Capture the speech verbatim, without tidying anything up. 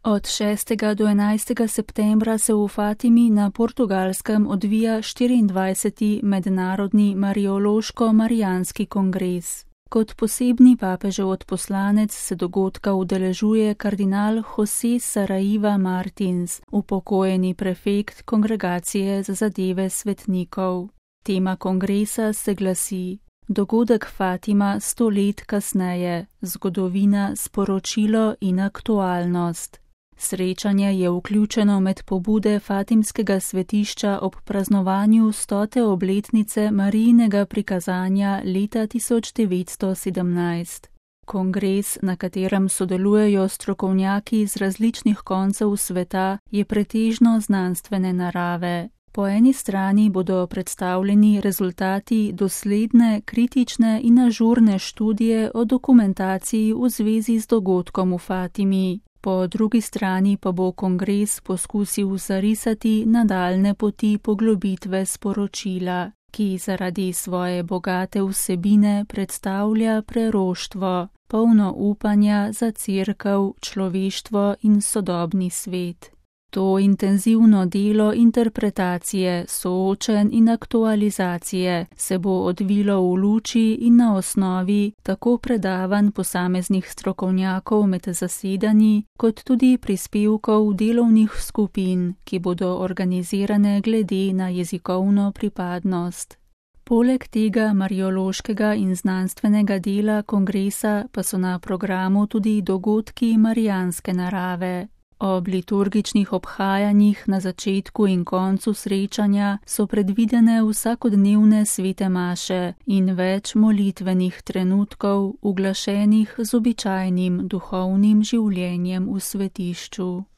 Od šestega do enajstega septembra se v Fatimi na Portugalskem odvija štiriindvajseti mednarodni mariološko-marijanski kongres. Kot posebni papežev odposlanec se dogodka udeležuje kardinal José Saraiva Martins, upokojeni prefekt Kongregacije za zadeve svetnikov. Tema kongresa se glasi: Dogodek Fatima sto let kasneje, zgodovina, sporočilo in aktualnost. Srečanje je vključeno med pobude Fatimskega svetišča ob praznovanju stote obletnice Marijinega prikazanja leta tisoč devetsto sedemnajst. Kongres, na katerem sodelujejo strokovnjaki iz različnih koncev sveta, je pretežno znanstvene narave. Po eni strani bodo predstavljeni rezultati dosledne, kritične in ažurne študije o dokumentaciji v zvezi z dogodkom v Fatimi. Po drugi strani pa bo kongres poskusil zarisati nadaljne poti poglobitve sporočila, ki zaradi svoje bogate vsebine predstavlja preroštvo, polno upanja za cerkev, človeštvo in sodobni svet. To intenzivno delo interpretacije, soočenj in aktualizacije se bo odvilo v luči in na osnovi tako predavanj posameznih strokovnjakov med zasedanji, kot tudi prispevkov delovnih skupin, ki bodo organizirane glede na jezikovno pripadnost. Poleg tega mariološkega in znanstvenega dela kongresa pa so na programu tudi dogodki marijanske narave. Ob liturgičnih obhajanjih na začetku in koncu srečanja so predvidene vsakodnevne svete maše in več molitvenih trenutkov, uglašenih z običajnim duhovnim življenjem v svetišču.